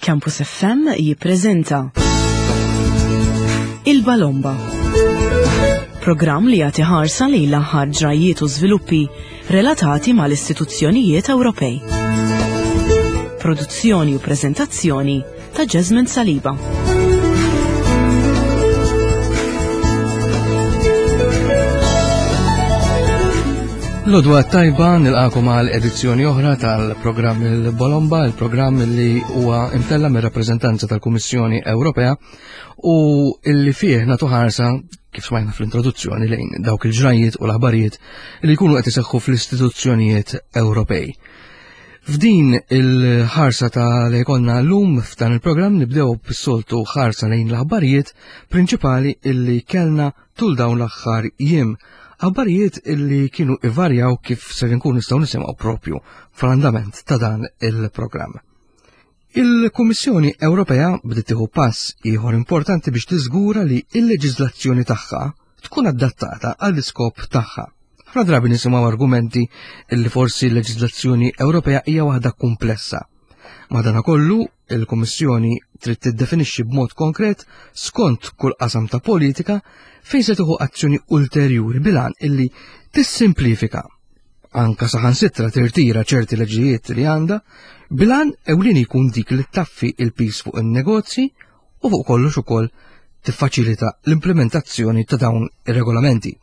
Campus FM jippreżenta Il-Balomba. Programm li jagħti ħarsa lejn l-aħħar ġrajjiet u żviluppi relatati mal-istituzzjonijiet Ewropej. Produzzjoni u preżentazzjoni ta' Jasmine Saliba. Lodwa tajba nilqakom għal edizzjoni oħra tal-programm il-Bolomba, il-programm li huwa imtella mir rappreżentanza tal-Kummissjoni Ewropea u illi fih nagħtu ħarsa kif smajna fl-introduzzjoni lejn dawk il-ġrajiet u l-aħbarijiet li jkunu qed iseħħu fl-istituzzjonijiet Ewropej. F'din il-ħarsa ta' li jkollna llum f'dan il-programm nibdew bis-soltu ħarsa lejn l-aħbarijiet prinċipali illi kellna tul dawn l-aħħar jiem. Aħbarijiet illi kienu ivarjaw kif ser inkunu nistgħu nisimgħu propju fl-andament ta' dan il-programm. Il-Kummissjoni Ewropea bdiet tieħu pass ieħor importanti biex tiżgura li l-leġiżlazzjoni tagħha tkun adattata għall-iskop tagħha. Ħafna drabi nisimgħu argumenti li forsi l-leġiżlazzjoni Ewropea hija waħda kumplessa. Madanakollu, il-Kummissjoni trid tiddefinixxi b'mod konkret skont kull qasam ta' politika fejn se tieħu azzjoni ulterjuri bilan illi tissimplifika anka saħansitra tirtira ċerti leġijiet li għandha, bilan ewlieni jkun dik li taffi il-pis fuq in-negozji u fuq kollox ukoll tiffaċilita l-implementazzjoni ta' dawn ir-regolamenti.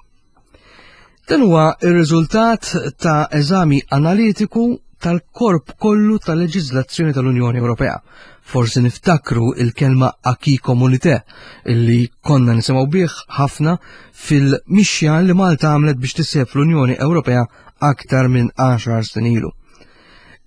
Dan huwa r-riżultat ta' eżami analitiku tal-korp kollu tal-leġiżlazzjoni tal-Unjoni Ewropea. Forsi niftakru il-kelma acquis communité illi konna nisimgħu bih ħafna fil-mixja li Malta għamlet biex tisseb fl-Unjoni Ewropea aktar minn 10 snin ilu.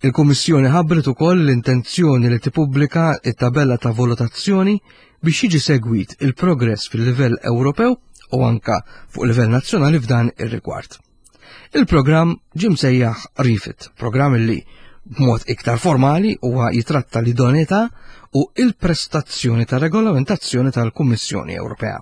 Il-Kummissjoni ħabbret ukoll l-intenzjoni li tippubblika it-tabella ta' valutazzjoni biex jiġi segwit il-progress fil-livell Ewropew u anka fuq livell nazzjonali f'dan ir-rigward. Il-programm ġie msejjaħ Refit, programm li b'mod iktar formali huwa jitratta l-idoneità u il-prestazzjoni ta' regolamentazzjoni tal-Kummissjoni Ewropea.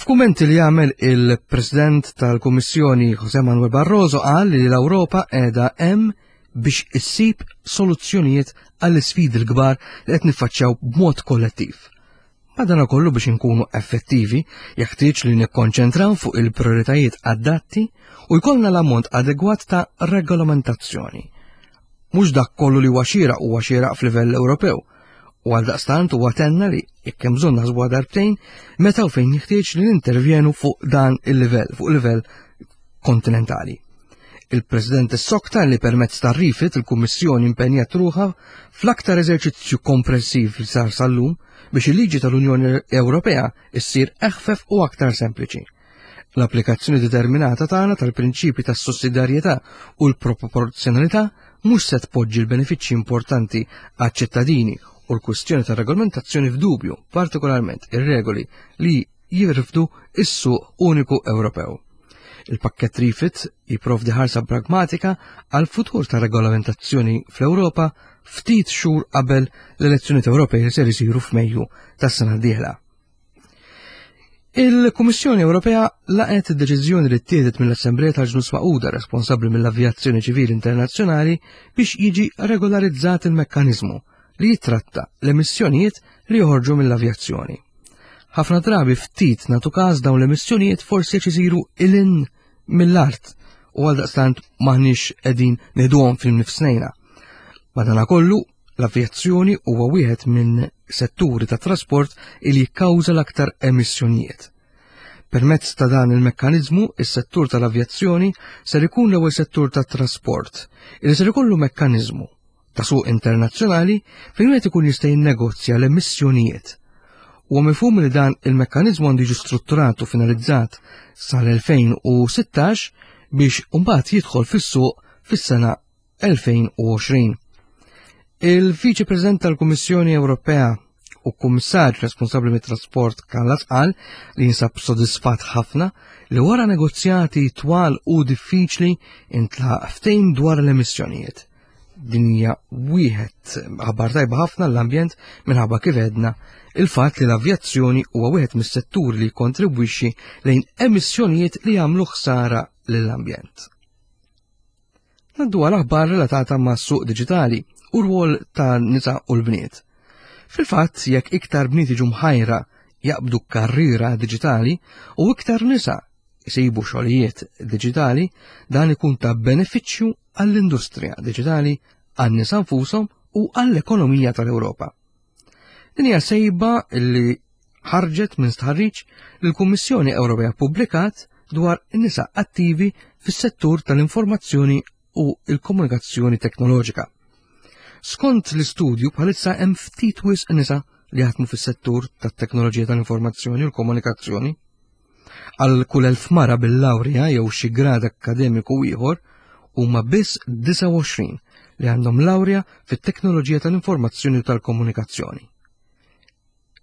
F'kummenti li għamel il-President tal-Kummissjoni José Manuel Barroso qal li l-Ewropa qiegħda hemm biex issib soluzzjonijiet għall-isfidi l-kbar li qed niffaċċjaw b'mod kollettiv. Madanakollu biex inkunu effettivi, jeħtieġ li nikkonċentraw fuq il-prioritajiet adatti u jkollna l-ammont adegwat ta' regolamentazzjoni. Mhux dak kollu li huwa xieraq huwa xieraq f'livell Ewropew, u għaldaqstant huwa tenna li jekk hemm bżonn naħsbuha darbtejn meta u fejn jeħtieġ li nintervjenu fuq dan il-livell, fuq livell kontinentali. Il-President issokta li permezz tar-rifit il-Kummissjoni impenjat ruħha fl-aktar eżerċizzju komprensiv li sar sal-lum biex il-liġi tal-Unjoni Ewropea issir eħfef u aktar sempliċi. L-applikazzjoni determinata tagħna tal-prinċipi tas-sussidjarjetà u l-proporzjonalità mhux se tpoġġi l-benefiċċji importanti għaċ-ċittadini u l-kwistjoni tar-regolamentazzjoni f'dubju, partikolarment ir-regoli li jirfdu is-suq uniku Ewropew. Il-pakkett Refit jipprovdi ħarsa pragmatika għal futur ta' regolamentazzjoni fl-Ewropa ftit xhur qabel l-elezzjonijiet Ewropej li ser isiru f'Mejju tas-sena d-dieħla. Il-Kummissjoni Ewropea laqgħet id-deċiżjoni li ttieħdet mill-Assembleja tal-Ġnus Magħquda responsabbli mill-Avjazzjoni Ċivili Internazzjonali biex jiġi regolarizzat il-mekkaniżmu li jitratta l-emissjonijiet li joħorġu mill-avjazzjoni. Ħafna drabi ftit natu każ dawn l-emissjonijiet forsi qed isiru ilin mill-art u għaldaqstant maħniex qegħdin nieħduhom fil-nifsnejna. Madanakollu, l-avjazzjoni huwa wieħed minn setturi ta' trasport li jikkawża l-aktar emissjonijiet. Permezz ta' dan il-mekkaniżmu, is-settur tal-avjazzjoni ser ikun l-ewwel settur tat-trasport li ser ikollu mekkaniżmu ta' suq internazzjonali fejn wieħed ikun jista' jinnegozja l-emissjonijiet. Huwa mifhum li dan il-mekkaniżmu għandu jiġi strutturat u finalizzat sal-2016 biex mbagħad jidħol fis-suq fis-sena 2020. Il-Viċi President tal-Kummissjoni Ewropea u kummissarju responsabbli mit-trasport Kallas qal li jinsab sodisfatt ħafna li wara negozjati twal u diffiċli intlaq ftehim dwar l-emissjonijiet. Din hija wieħed aħbar tajba ħafna l-ambjent minħabba kif għedna il-fatt li l-avjazzjoni huwa wieħed mis-setturi li jikkontribwixxi lejn emissjonijiet li jagħmlu ħsara lill-ambjent. Naddu għal aħbar relatata ma' suq diġitali u rwol ta' nisa u l-bniet. Fil-fatt, jekk iktar bniet jiġu mħajra jaqbdu karriera diġitali u iktar nisa jsibu xogħlijiet diġitali, dan ikun ta' benefiċċju għall-industrija diġitali, għan-nisa nfushom u għall-ekonomija tal-Ewropa. Din hija sejba li ħarġet minn stħarriġ li l-Kummissjoni Ewropea ppubblikat dwar in-nisa attivi fis-settur tal-informazzjoni u l-komunikazzjoni teknoloġika. Skont l-istudju bħalissa hemm ftit wisq nisa li jaħdmu fis-settur tat-teknoloġija tal-informazzjoni u l-komunikazzjoni. Għal kull elf mara bil-lawrja jew xi grad akkademiku ieħor huma biss 29 li għandhom lawrja fit-teknoloġija tal-informazzjoni u tal-komunikazzjoni.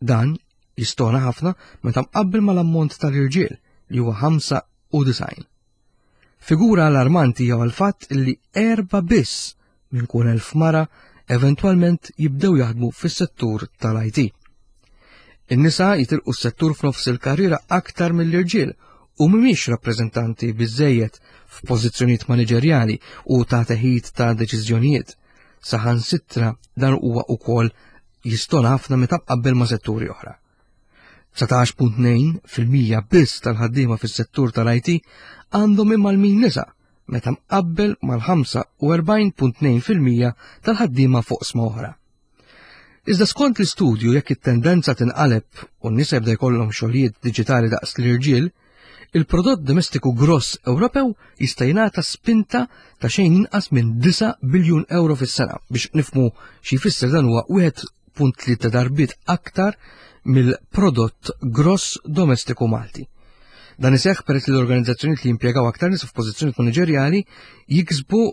Dan jistona ħafna meta mqabbel mal-ammont tal-irġiel li huwa 95. Figura allarmanti hija l-fatt li erba' biss minn kull elf mara eventwalment jibdew jaħdmu fis-settur tal-IT. In-nisa jitilqu s-settur f'nofs il-karriera aktar mill-irġiel u mhumiex rappreżentanti biżejjed f'pożizzjonijiet maniġerjali u ta' teħid ta' deċiżjonijiet. Saħansitra dan huwa wkoll jistona ħafna meta mqabbel ma' setturi oħra. 19.2% biss tal-ħaddiema fis-settur tal-IT għandhom imgħallmin nisa meta mqabbel mal-45.2% tal-ħaddiema fuq sma oħra. Iżda skont l-istudju jekk it-tendenza tinqaleb u n-nisa jibda jkollhom xogħlijiet diġitali daqs l-irġiel, il-prodott domestiku gross Ewropew jista' jingħata spinta ta' xejn inqas minn 9 biljun euro fis-sena biex nifmu xi jfisser dan huwa 1.3 darbiet aktar mill-prodott gross domestiku Malti. Dan iseħħ peress li l-organizzazzjonijiet li jimpjegaw aktar nies f'pożizzjonijiet maniġerjali jiksbu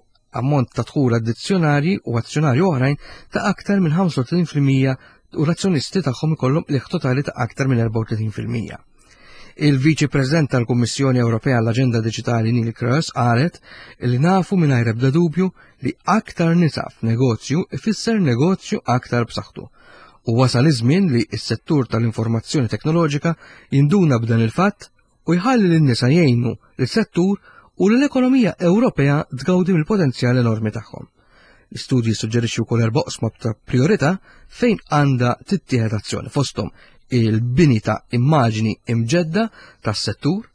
ammont ta' dħul addizzjonali u azzjonari oħrajn ta' aktar minn 35% u l-azzjonisti tagħhom ikollhom qligħ totali ta' aktar minn 34%. Il-Viċi President tal-Kummissjoni Ewropea għall-Aġenda Diġitali Neil Kroes qalet li nafu mingħajr ebda dubju li aktar nisa f'negozju ifisser negozju aktar b'saħħtu. U wasal iż-żmien li s-settur tal-informazzjoni teknoloġika jinduna b'dan il-fatt u jħalli lin-nisa jgħinu lis-settur u l-ekonomija Ewropea tgawdi mill-potenzjal enormi tagħhom. L-istudji jissuġġerixxi wkoll erba' oqsma ta' priorità fejn għandha tittieħed azzjoni fosthom il-bini ta' immaġni imġedda tas-settur,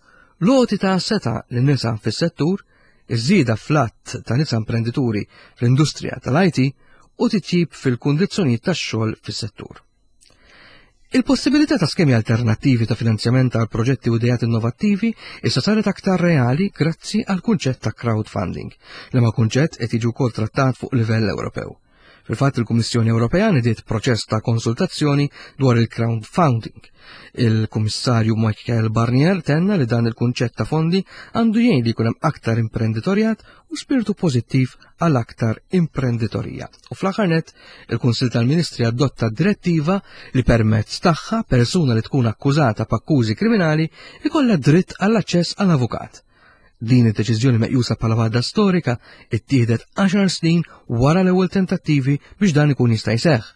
l-għoti ta' seta' lin-nisa fis-settur, iż-żieda fl-att ta' nisa imprendituri fl-industrija tal-IT u titjib fil-kundizzjonijiet tax-xogħol fis-settur. Il-possibilità ta' skemi alternattivi ta' finanzjament għal proġetti u ideat innovattivi issa saret aktar reali grazzi għal kunċett ta' crowdfunding, li ma' kunċett qed jiġi wkoll trattat fuq livell Ewropew. Fil-fatt il-Kummissjoni Ewropea nidiet proċess ta' konsultazzjoni dwar il-crowdfunding. Il-Kummissarju Michael Barnier tenna li dan il-kunċett ta' fondi għandu jgħin li jkun hemm aktar imprenditorjat u spiritu pożittiv għal aktar imprenditorija. U fl-aħħar nett, il-Kunsill tal-Ministri adotta direttiva li permezz tagħha persuna li tkun akkużata b'akkużi kriminali ikollha dritt għall-aċċess għal avukat. Din id-deċiżjoni meqjusa bħala waħda storika ittieħdet 10 snin wara l-ewwel tentattivi biex dan ikun jista' jseħħ.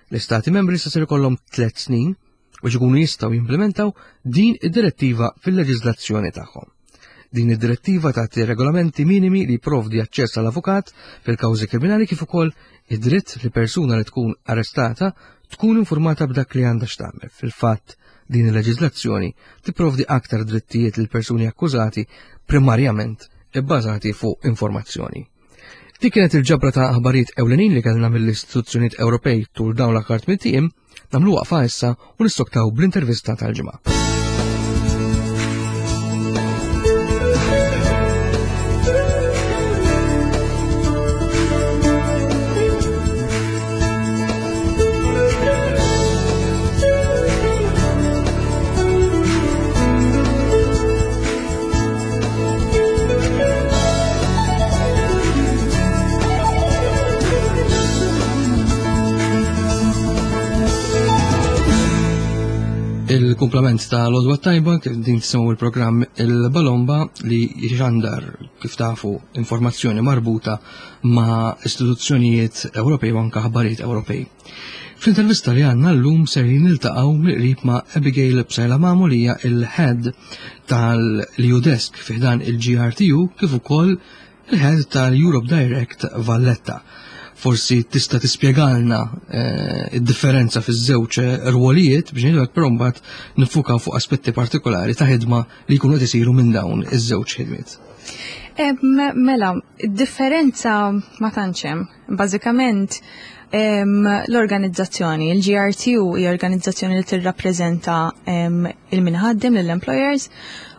L-Istati membri se ser ikollhom tliet snin biex ikunu jistgħu jimplementaw din id-direttiva fil-leġiżlazzjoni tagħhom. Din id-direttiva tagħti regolamenti minimi li jipprovdi aċċess għal avukat fil-kawżi kriminali kif ukoll id-dritt li persuna li tkun arrestata tkun informata b'dak li għandha x'tagħmel. Fil-fatt, din il-leġiżlazzjoni tipprovdi aktar drittijiet lil persuni akkużati primarjament ibbażati fuq informazzjoni. Dik kienet il-ġabra ta' aħbarijiet ewlenin li kellna mill-istituzzjonijiet Ewropej tul dawn l-aħħar tmien ijiem. Nagħmlu waqfa issa u nistoktaw bl-intervista tal-ġimgħa. Il-kumplament ta' l-odwa tajba din tisimgħu il-programm il-Balomba li jxandar kif tafu informazzjoni marbuta ma' istituzzjonijiet Ewropej u anka ħbarijiet Ewropej. Fl-intervista li għandna llum ser niltaqgħu mill-qrib ma' Abigail Psaila Mamu li hija il-head tal-EU Desk fi ħdan il-GRTU kif ukoll il-head tal-Europe Direct Valletta. Forsi tista' tispjegalna eh, id-differenza fiż-żewġ rwolijiet biex ngħidu però mbagħad nifukaw fuq aspetti partikolari ta' ħidma li jkunu qed isiru minn dawn iż-żewġ ħidmiet. Mela, differenza ma tantx hemm. Bażikament l-organizzazzjoni, il-GRTU hija organizzazzjoni li tirrappreżenta il-minħaddem lill-employers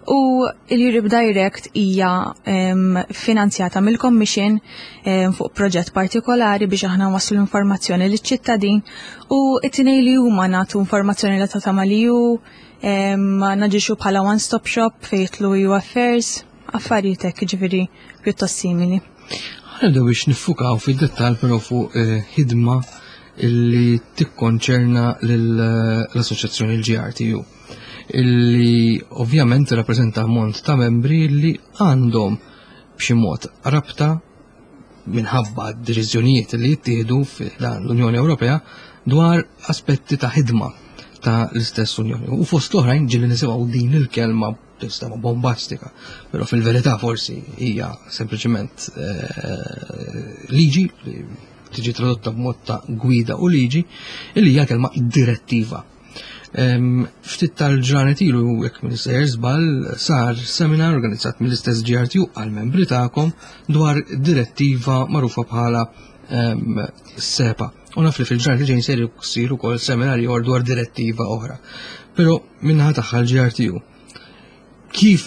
u l-Europe Direct hija finanzjata mill-Commission fuq proġett partikolari biex aħna waslu l-informazzjoni liċ-ċittadin u it-tnej li huma nagħtu informazzjoni li ta' mal-EU, naġixxu bħala one-stop shop fejn jidħlu EU Affairs, affarijiet hekk ġifieri pjuttost simili. Ħanibdew biex niffukaw fid-dettall però fuq eh, ħidma illi tikkonċerna l-assoċjazzjoni l-GRTU illi ovvjament rappreżenta ammont ta' membri li għandhom b'xi mod rabta minħabba deċiżjonijiet li jittieħdu l-Unjoni Ewropea dwar aspetti ta' ħidma ta' l-istess Unjoni. U fost oħrajn ġieli nisimgħu din il-kelma tistama bombastika, però fil-verità forsi hija sempliċement eh, liġi li tiġi tradotta b'mod ta' gwida u liġi illi hija kelma direttiva. Ftit tal-ġranet ilu, jekk minn sejjer żball, sar seminar organizzat mill-istess GRTU għal-membri tagħkom dwar direttiva magħrufa bħala SEPA. U naf li fil-ġranet li ġejjin ser jsir ukoll seminar ieħor dwar direttiva oħra. Però minnaħa tagħha l-GRTU kif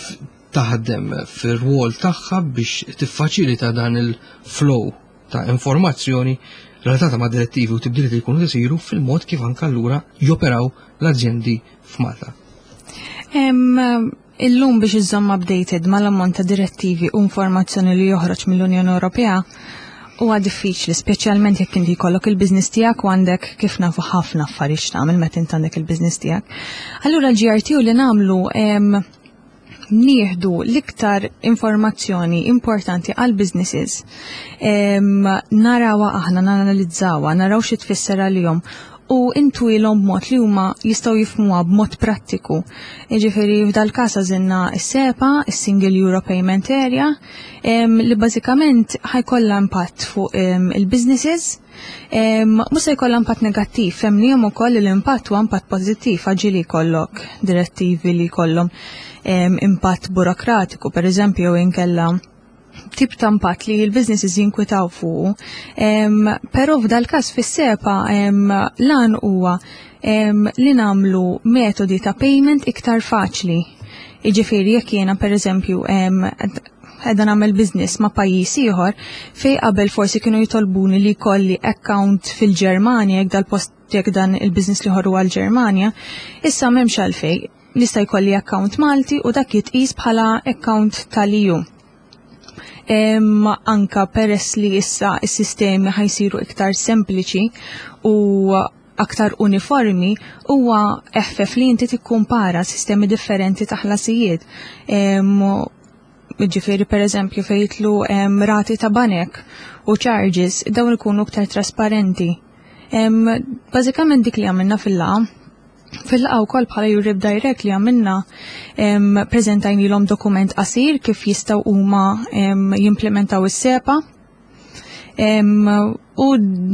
taħdem fir-rwol tagħha biex tiffaċilita dan il-flow ta' informazzjoni relatata ma' direttivi u tibdiliet li jkunu isiru fil-mod kif anke allura joperaw l-azjendi f'Malta. Illum biex iżżomm updated mal-ammont ta' direttivi u informazzjoni li joħroġ mill-Unjoni Ewropea huwa diffiċli, speċjalment jekk inti jkollok il-business tiegħek u għandek kif nafu ħafna affarijiet x'tagħmel meta int għandek il-business tiegħek. Allura l-GRT u li nagħmlu nieħdu l-iktar informazzjoni importanti għal businesses narawha aħna nanalizzawa, naraw xi tfisser għalihom u intwilhom b'mod li huma jistgħu jifhmuha b'mod prattiku. Jiġifieri f'dal-każ għażilna s-SEPA, is-Single Euro Payment Area, li bażikament ħajkollha impatt fuq il-businesses. Mhux se jkollha impatt negattiv, fehmnihom ukoll li l-impatt huwa impatt pożittiv għax ġieli jkollok direttivi li jkollhom impatt burokratiku, pereżempju, jew inkella tip ta' impatt li l-businesses jinkwitaw fuqu. Però f'dal-każ fis-SEPA lan huwa li nagħmlu metodi ta' payment iktar faċli. Jiġifieri jekk jiena pereżempju qiegħda nagħmel business ma' pajjiż ieħor fej qabel forsi kienu jitolbuni li jkolli account fil-Ġermanja jekk dal-post jekk dan il-business li ħorru għal-Ġermanja, issa m'hemmx għalfej. Nista' jkolli account Malti u dak jitqis bħala account tal-EU. Anka peress li issa s-sistemi ħajsiru iktar sempliċi u aktar uniformi, huwa eħfef li inti tikkumpara sistemi differenti ta' ħlasijiet. Ġifieri per eżempju fejn jidħlu rati ta' banek u charges, dawn ikunu iktar trasparenti. Bażikament dik li għamilna fil-laqgħa. Fil-laqgħa wkoll bħala Europe Direct li għamilna preżentajnilhom dokument qasir kif jistgħu huma jimplementaw is-SEPA. U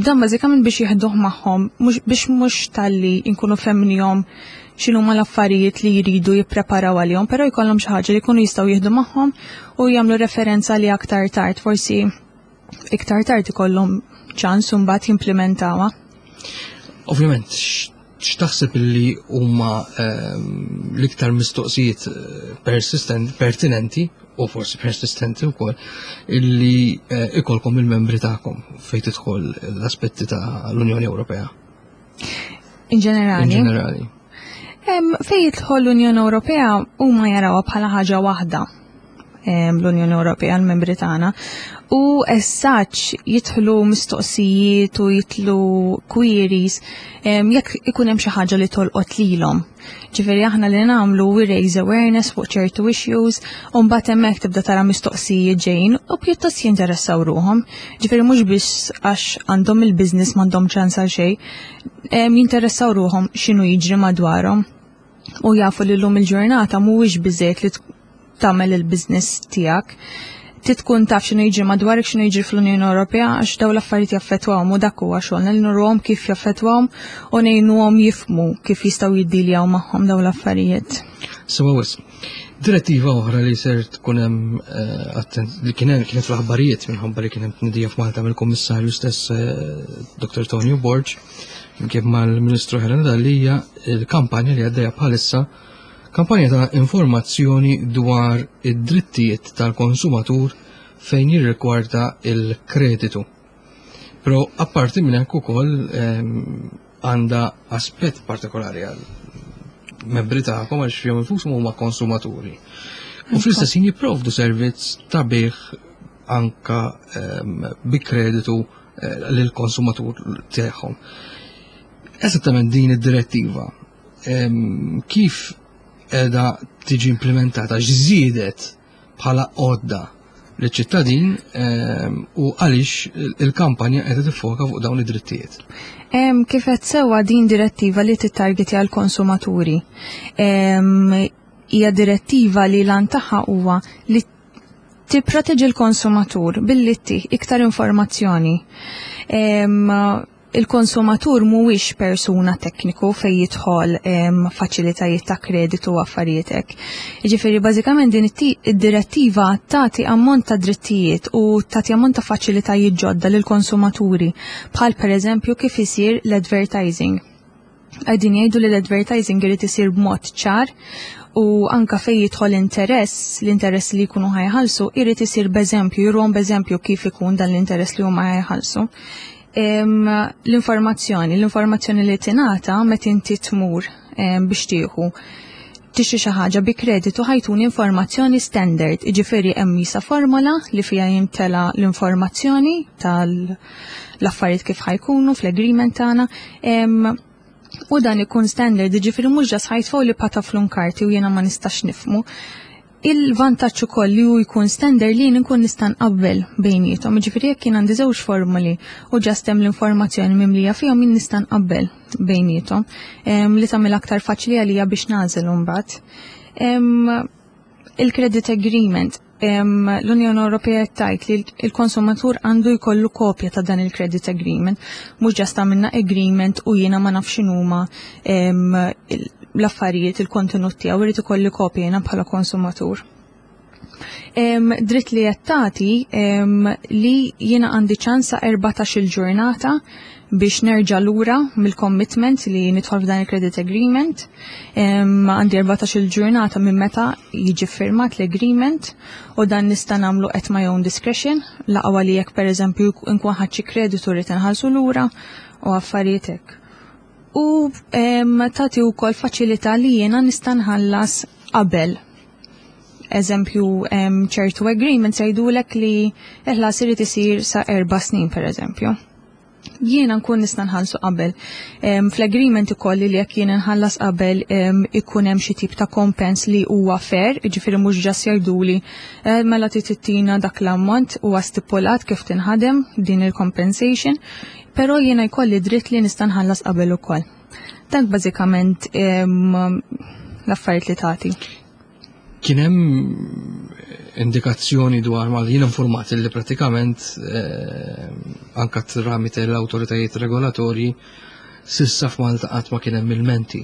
dan bażikament biex jieħduh magħhom, biex mhux talli nkunu fehmnihom x'inhuma l-affarijiet li jridu jippreparaw għalihom, però jkollhom xi ħaġa li jkunu jistgħu jieħdu magħhom u jagħmlu referenza li aktar tard, forsi iktar tard ikollhom ċans u mbagħad jimplementawha. Ovvjament, x'taħseb li huma l-iktar mistoqsijiet persistent, pertinenti u forsi persistenti wkoll illi ikolkom il-membri tagħkom fejn tidħol l-aspetti ta' l-Unjoni Ewropea? In ġenerali. In ġenerali. Fejn jidħol l-Unjoni Ewropea huma jarawha bħala ħaġa waħda l-Unjoni Ewropea l-membri tagħna u as such jidħlu mistoqsijiet u jidħlu queries jekk ikun hemm xi ħaġa li tolqot lilhom. Ġifieri aħna li nagħmlu we raise awareness fuq ċertu issues u mbagħad hemmhekk tibda tara mistoqsijiet ġejjin u pjuttost jinteressaw ruhom. Ġifieri mhux biss għax għandhom il-business m'għandhom ċans għal xejn, jinteressaw ruhom x'inhu jiġri madwarhom u jafu li llum il-ġurnata mhuwiex biżejjed li tagħmel il-business tiegħek. Tkun taf x'inhu jiġri madwarek, x'inhu jiġri fl-Unjoni Ewropea, għax dawn l-affarijiet jaffettwahom u dak huwa xogħolna li nurruhom kif jaffettwahom u ngħinuhom jifhmu kif jistgħu jiddiljaw magħhom dawn l-affarijiet. Sewa wisq. Direttiva oħra li ser tkun hemm eh, li kien hemm kienet fl-aħbarijiet minħabba li kien hemm tnedija f'Malta mill-Kummissarju stess eh, Dr. Tonio Borg kif mal-Ministru Helena Dalli hija l-kampanja li għaddejja bħalissa kampanja ta' informazzjoni dwar id-drittijiet tal-konsumatur fejn jirrigwarda il-kreditu. Però apparti minn hekk ukoll ehm, għandha aspett partikolari għal membri tagħkom għax fihom infushom huma konsumaturi. U fl-istess ħin jipprovdu servizz ta' bih anka ehm, bi kreditu eh, lill-konsumatur tagħhom. Eżattament din id-direttiva ehm, kif qiegħda tiġi implementata, x'żiedet bħala għodda liċ-ċittadin ehm, u għaliex il-kampanja qiegħda tiffoka fuq dawn id-drittijiet. Kif qed sewwa din direttiva li tittargetja l-konsumaturi. Hija direttiva li lan tagħha huwa li tipproteġi l-konsumatur billi ttih iktar informazzjoni. Il-konsumatur mhuwiex persuna tekniku fejn jidħol faċilitajiet ta' kreditu u affarijiet hekk. Jiġifieri bażikament din id-direttiva tagħti ammont ta' drittijiet u tagħti ammont ta' faċilitajiet ġodda lill-konsumaturi bħal pereżempju kif isir l-advertising. Qegħdin jgħidu li l-advertising irid isir b'mod ċar u anka fejn jidħol interess, l-interess li jkunu ħajħallsu, irid isir b'eżempju, juruhom b'eżempju kif ikun dan l-interess li huma ħajħallsu. L-informazzjoni, l-informazzjoni li tingħata meta inti tmur biex tieħu tixtri xi ħaġa bi kreditu ħajtuni informazzjoni standard, jiġifieri hemm jisa formola li fiha jimtela l-informazzjoni tal-affarijiet kif ħajkunu fl-agreement tagħna. U dan ikun standard, jiġifieri mhux ġas ħajtfgħu li pataflun karti u jiena ma nistax nifhmu. Il-vantaġġ ukoll li hu jkun standard li jien inkun nista' nqabbel bejniethom, jiġifieri jekk jien għandi żewġ formoli u ġast hemm l-informazzjoni mimlija fihom jien nista' nqabbel bejniethom li tagħmel aktar faċli għalija biex nagħżel imbagħad. Il-credit agreement, l-Unjoni Ewropea qed tgħid li l-konsumatur għandu jkollu kopja ta' dan il-credit agreement, mhux ġast għamilna agreement u jiena ma nafx x'inhuma l-affarijiet, il-kontenut tiegħu, irid ikolli kopja jiena bħala konsumatur. Dritt li qed tagħti li jiena għandi ċans sa 14-il ġurnata biex nerġa' lura mill-commitment li nidħol f'dan il-credit agreement. Għandi 14-il ġurnata minn meta jiġi firmat l-agreement u dan nista' nagħmlu at my own discretion, l-aqwa li jekk pereżempju nkun ħadt xi kreditu rrid inħallsu lura u affarijiet hekk. U tagħti wkoll faċilità li jiena nista' nħallas qabel. Eżempju, ċertu agreements jgħidulek li l-ħlas irid isir sa 4 snin pereżempju. Jiena nkun nista' nħallsu qabel. Fl-agreement ikolli li jekk jiena nħallas qabel ikun hemm xi tip ta' kompens li huwa fair, jiġifieri mhux ġas jgħiduli mela trid tittina dak l-ammont huwa stipulat kif tinħadem din il-compensation, però jiena jkolli dritt li nista' nħallas qabel ukoll. Dak bażikament l-affarijiet li tagħti. Kien hemm indikazzjoni dwar ma jien informat li pratikament anka tramite l-awtoritajiet regolatorji sissa f'Malta qatt ma kien hemm ilmenti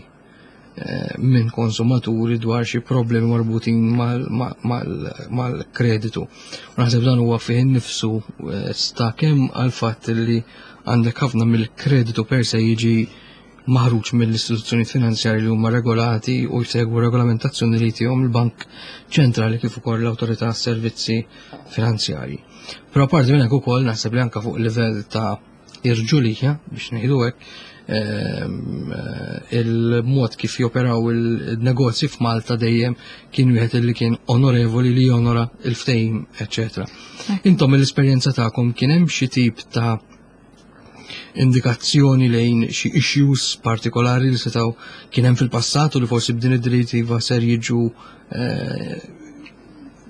minn konsumaturi dwar xi problemi marbutin mal-kreditu. U naħseb dan huwa fih innifsu sta kemm għal fatt li għandek ħafna mill-kreditu per se jiġi maħruġ mill-istituzzjonijiet finanzjarji li huma regolati u jsegwu regolamentazzjoni li jtihom il-Bank Ċentrali kif ukoll l-Awtorità għas-Servizzi Finanzjarji. Però apparti minn hekk ukoll naħseb li anke fuq livell ta' irġulija biex ngħidu hekk, il-mod kif joperaw il-negozji f'Malta dejjem kien wieħed li kien onorevoli li jonora il-ftehim, eċċetera. Intom mill-esperjenza tagħkom kien hemm xi tip ta' indikazzjoni lejn xi issues partikolari li setgħu kien hemm fil-passat u li forsi b'din id-direttiva ser jiġu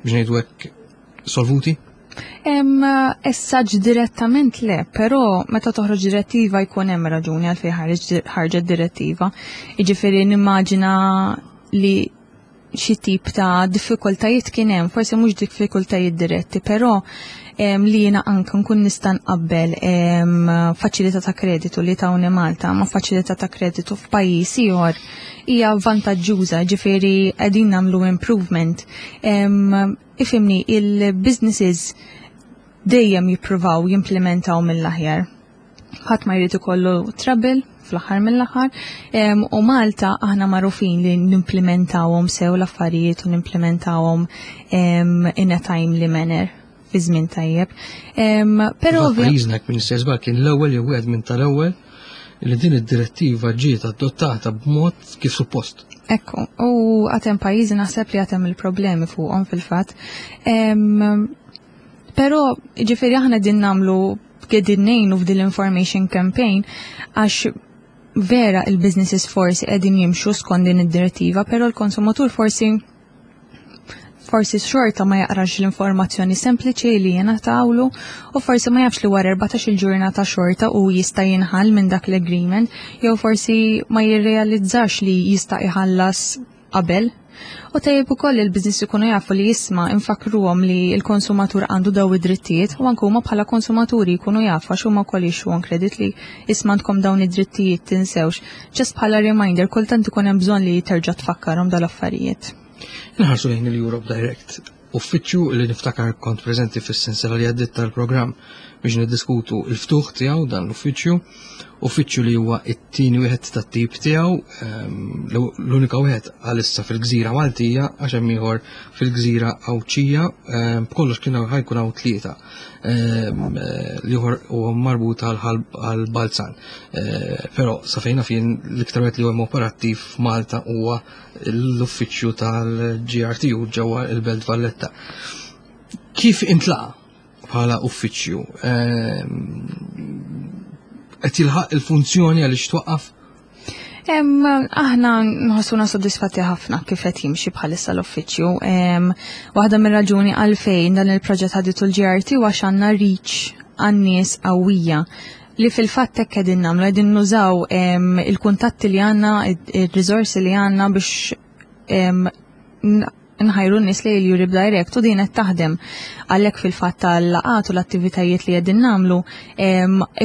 biex ngħidu hekk solvuti? Essaġ direttament le, però meta toħroġ direttiva jkun hemm raġuni għalfejn ħarġet direttiva. Jiġifieri nimmaġina li xi tip ta' diffikultajiet kien hemm, forsi mhux diffikultajiet diretti, però li jiena anke nkun nista' nqabbel faċilità ta' kreditu li tawni Malta ma' faċilità ta' kreditu f'pajjiż ieħor hija vantaġġuża, ġifieri qegħdin nagħmlu improvement. Ifhimni, il-businesses dejjem jippruvaw jimplementaw mill-aħjar. Ħadd ma jrid ikollu trouble fl-aħħar mill-aħħar. U Malta aħna magħrufin li nimplementawhom sew l-affarijiet u nimplementawhom in a timely manner fi żmien tajjeb. Però pajjiżna jekk minn żball kien l-ewwel jew wieħed minn tal-ewwel li din id-direttiva ġiet adottata b'mod kif suppost. Ekku, u għatem pajjiżi naħseb li għatem il-problemi fuqhom fil-fatt. Però ġifieri aħna din nagħmlu qegħdin ngħinu f'din l-information campaign għax vera il-businesses forsi qegħdin jimxu skont din id-direttiva, però l-konsumatur forsi forsi xorta ma jaqrax l-informazzjoni sempliċi li jingħatawlu u forsi ma jafx li wara 14 il-ġurnata xorta u jista' jinħall minn dak l-agreement jew forsi ma jirrealizzax li jista' iħallas qabel. U tajjeb ukoll il-business ikunu jafu li jisma' infakruhom li l-konsumatur għandu daw id-drittijiet u anke huma bħala konsumaturi jkunu jafu għax huma wkoll jixtru on credit li isma' għandkom dawn id-drittijiet tinsewx. Just bħala reminder kultant ikun hemm bżonn li terġa' tfakkarhom dal-affarijiet. Inħarsu lejn il-Europe Direct, uffiċċju li niftakar kont preżenti fis-sensela li għaddit tal-programm biex niddiskutu il-ftuħ tiegħu dan l-uffiċċju, uffiċċju li huwa it-tieni wieħed tat-tip tiegħu, l-unika wieħed għalissa fil-gżira Maltija għax hemm ieħor fil-gżira Għawdxija, b'kollox kien ħajkun hawn tlieta. L-ieħor huwa marbut għal Balzan. Però sa fejn naf jien l-iktar wieħed li huwa operattiv f'Malta huwa l-uffiċċju tal-GRTU ġewwa il-Belt Valletta. Kif intlaqa bħala uffiċċju? Qed jilħaq il-funzjoni għaliex twaqqaf? Aħna nħossuna soddisfatti ħafna kif qed jimxi bħalissa l-uffiċċju. Waħda mir-raġuni għalfejn dan il-proġett ħaditu l-GRT għax għandna reach għan-nies qawwija li fil-fatt hekk qegħdin nagħmlu, qegħdin nużaw il-kuntatti li għandna, ir-riżorsi li għandna biex nħajru n-nies li l-Europe Direct u din qed taħdem. Għalhekk fil-fatt tal-laqgħat u l-attivitajiet li qegħdin nagħmlu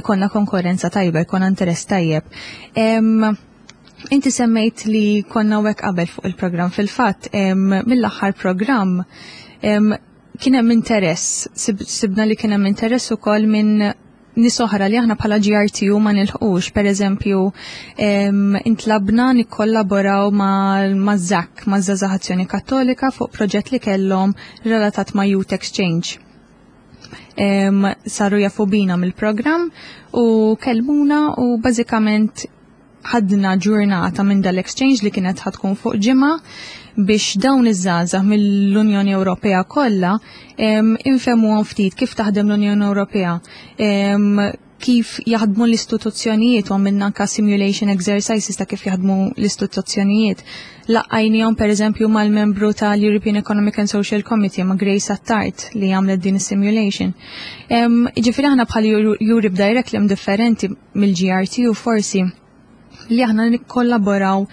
ikonna konkurrenza tajba, ikonna interess tajjeb. Inti semmejt li konna hekk qabel fuq il-programm. Fil-fatt mill-aħħar programm kien hemm interess, sibna li kien hemm interess ukoll minn nies oħra li aħna bħala GRTU ma nilħqux. Per eżempju, intlabna nikkollaboraw ma' ZAC, ma' Żgħażagħ Azzjoni Kattolika fuq proġett li kellhom relatat ma' Youth Exchange. Saru jafu bina mill-programm u kellmuna u bażikament ħadna ġurnata minn dal-exchange li kienet ħatkun fuq ġimgħa biex dawn iż-żgħażagħ mill-Unjoni Ewropea kollha infehmuhom ftit kif taħdem l-Unjoni Ewropea, kif jaħdmu l-istituzzjonijiet u għamilna anka simulation exercises ta' kif jaħdmu l-istituzzjonijiet. Laqqajnihom per eżempju mal-membru tal-European Economic and Social Committee ma' Grace Attard li għamlet din is-simulation. Ġifieri aħna bħal Europe Direct li hemm differenti mill-GRT u forsi li aħna nikkollaboraw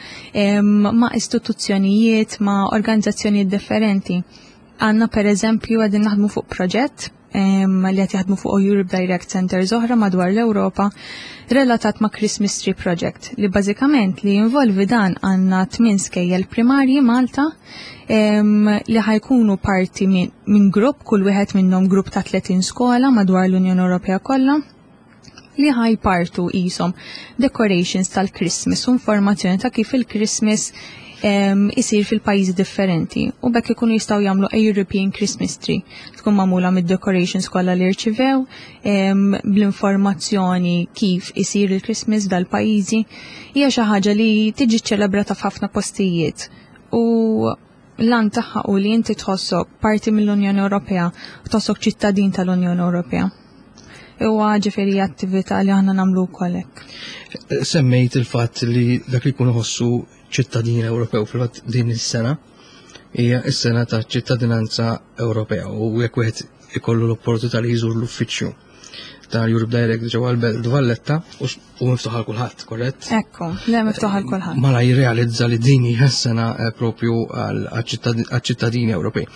ma' istituzzjonijiet, ma' organizzazzjonijiet differenti. Għanna per eżempju għadin naħdmu fuq proġett li qed jaħdmu fuq Europe Direct Centers oħra madwar l-Ewropa relatat ma' Christmas Tree Project li bażikament li jinvolvi dan għandna tmien skejjel primarji Malta li ħajkunu parti minn grupp, kull wieħed minnhom grupp ta' 30 skola madwar l-Unjoni Ewropea kollha li ħajpartu qishom decorations tal-Christmas u informazzjoni ta' kif il-Christmas isir fil-pajjiżi differenti u bekk ikunu jistgħu jagħmlu a European Christmas tree tkun magħmula mid-decorations kollha li rċivew bl-informazzjoni kif isir il-Christmas dal-pajjiżi. Hija xi ħaġa li tiġi ċċelebrata f'ħafna postijiet u l-għan tagħha u li inti tħossok parti mill-Unjoni Ewropea u tħossok ċittadin tal-Unjoni Ewropea. Huwa ġifieri attività li aħna nagħmlu wkoll hekk. Semmejt il-fatt li dak li jkun iħossu ċittadin Ewropew fil-fatt din is-sena hija s-sena ta' ċittadinanza Ewropea u jekk wieħed ikollu l-opportunità li jżur l-uffiċċju ta' Europe Direct ġewwa l-Belt Valletta u miftuħ għal kulħadd, korrett? Ekku, le miftuħ għal kulħadd. Mala jirrealizza li din hija sena eh, propju għal-ċittadini Ewropej.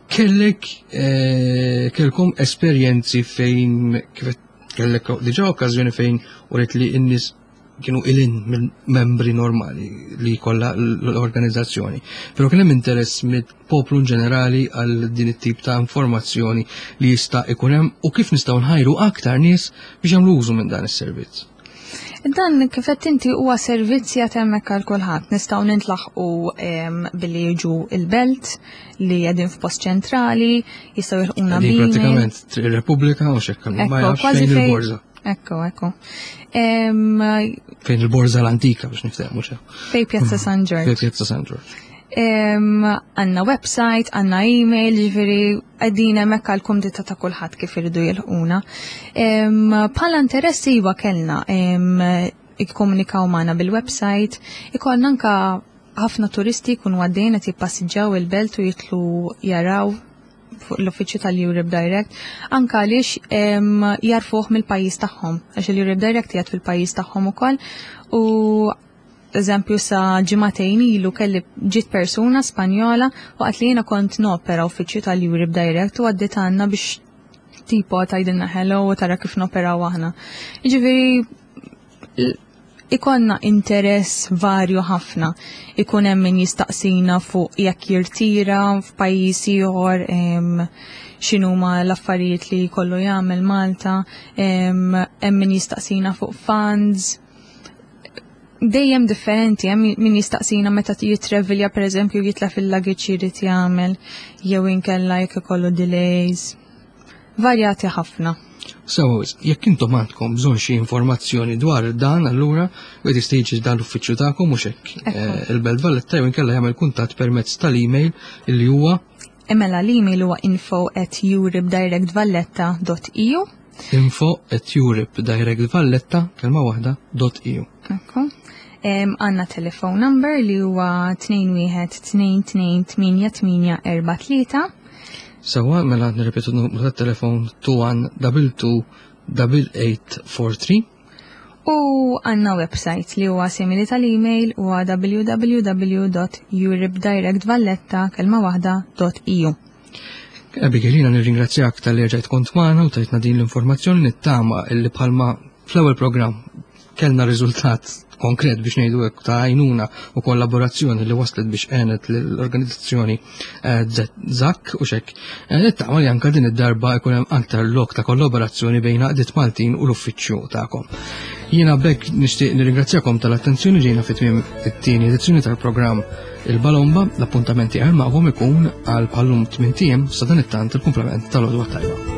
Kellek eh, kellkom esperjenzi fejn kif kellek diġà okkażjoni fejn uret li n-nies kienu ilin mill-membri normali li kollha l-organizzazzjoni. Però kien hemm interess mill-poplu ġenerali għal din it-tip ta' informazzjoni li jista' ikun hemm u kif nistgħu nħajru aktar nies biex jagħmlu użu minn dan is-servizz. Dan kif qed inti huwa servizz jagħti hemmhekk għal kulħadd. Nistgħu nintlaħqu billi jiġu il-belt li qegħdin f'post ċentrali, jistgħu jilħquna Pratikament ir-Repubblika u xekk ma jafx fejn il-Borża. Ekku, ekku. Fejn il-Borża l-antika biex niftehmu xe. Fej Pjazza San Ġorġ. Fej Pjazza San Ġorġ. Għanna website, għanna email, ġifiri għedin hemmhekk għal kumdita ta' kulħadd kif iridu jilħquna. Bħala interess iva kellna ikkomunikaw magħna bil-website, ikollna anka ħafna turisti jkunu għaddejn qed jippassiġġaw il-belt u jitlu jaraw fuq l-uffiċċju tal-Europe Direct, anka għaliex jarfuh mill-pajjiż tagħhom, għax il-Europe Direct jgħid fil-pajjiż tagħhom ukoll u eżempju sa ġimagħtejn ilu kelli ġiet persuna Spanjola waqt li jiena kont nopera uffiċċju tal-Europe Direct u għaddiet għandna biex tipo tgħidilna hello u tara kif noperaw aħna. Jiġifieri ikonna interess varju ħafna. Ikun hemm min jistaqsina fuq jekk jirtira f'pajjiż ieħor x'inhuma l-affarijiet li jkollu jagħmel Malta, hemm min jistaqsina fuq funds. Dejjem differenti, hemm min jistaqsina meta jitrevilja pereżempju jitla fil-luggage jrid jagħmel jew inkella jekk ikollu delays. Varjati ħafna. Sewa wisq, jekk intom għandkom bżonn xi informazzjoni dwar dan allura wieħed jista' jiġi dan l-uffiċċju tagħkom mhux hekk. Eh, Il-Belt Valletta jew inkella jagħmel kuntatt permezz tal-email illi huwa Mela l-email huwa info at europedirectvalletta.eu info at europedirectvalletta kelma waħda dot .eu. Ekku. Għanna telephone number li huwa 21228843. Sewa, mela nirrepetu n-numru tat-telefon 2122 8843. U għanna website li huwa simili tal-email huwa www.europedirectvalletta kelma waħda .eu. Abigail, jiena nirringrazzjak tal-li rġajt kont magħna u tajtna din l-informazzjoni nittama illi bħalma fl-ewwel programm kellna riżultat konkret biex ngħidu hekk ta' għajnuna u kollaborazzjoni li waslet biex għenet l-organizzazzjoni eh, ZAK u xek. Eh, nittama li anka din id-darba jkun hemm aktar lok ta' kollaborazzjoni bejn għaqdiet Maltin u l-uffiċċju tagħkom. Jiena bekk nixtieq nirringrazzjakom tal-attenzjoni ġejna fit tmiem it-tieni edizzjoni tal-programm Il-Balomba, l-appuntamenti għal magħhom ikun għal bħallum 8 ijiem sa dan it-tant il-kumplament tal-għodwa tajba.